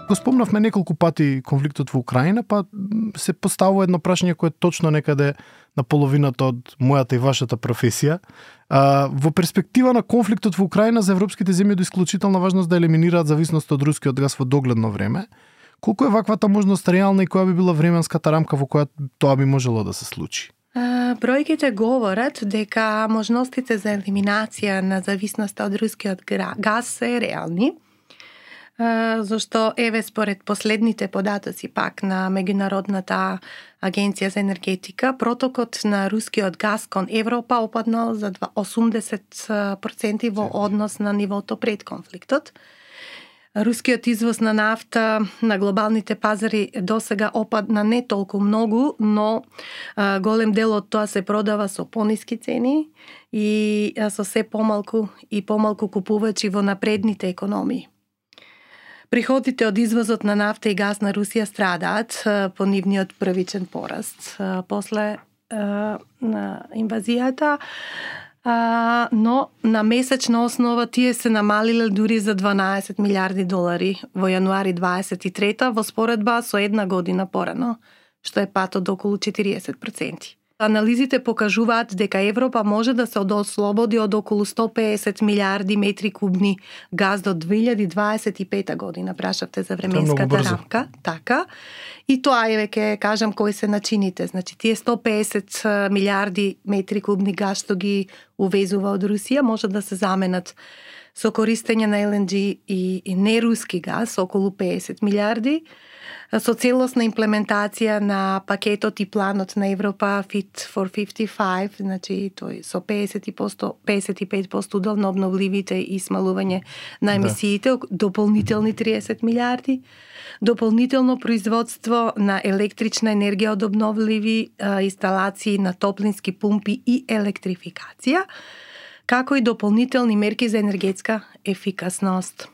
Го спомнавме неколку пати конфликтот во Украина, па се поставува едно прашање кое е точно некаде на половината од мојата и вашата професија. Во перспектива на конфликтот во Украина за европските земји е од исклучителна важност да елиминираат зависност од рускиот газ во догледно време. Колку е ваквата можност реална и која би била временската рамка во која тоа би можело да се случи? Бројките говорат дека можностите за елиминација на зависноста од рускиот газ се реални, зашто еве според последните податоци пак на Меѓународната агенција за енергетика, протокот на рускиот газ кон Европа опаднал за 80% во однос на нивото пред конфликтот. Рускиот извоз на нафта на глобалните пазари досега опадна не толку многу, но голем дел од тоа се продава со пониски цени и со се помалку и помалку купувачи во напредните економии. Приходите од извозот на нафта и газ на Русија страдаат по нивниот првичен пораст после на инвазијата, но на месечна основа тие се намалиле дури за 12 милиарди долари во јануари 23 во споредба со една година порано, што е пат од околу 40%. Анализите покажуваат дека Европа може да се ослободи од околу 150 милиарди метри кубни газ до 2025 година. Прашавте за временската рамка. Така. И тоа е веќе кажам кои се начините. Значи тие 150 милиарди метри кубни газ што ги увезува од Русија може да се заменат со користење на ЛНГ и неруски газ, околу 50 милиарди, со целосна имплементација на пакетот и планот на Европа Fit for 55, значи тој со 55% удел на обновливите и смалување на емисиите, дополнителни 30 милиарди, дополнително производство на електрична енергија од обновливи инсталации на топлински пумпи и електрификација, како и дополнителни мерки за енергетска ефикасност.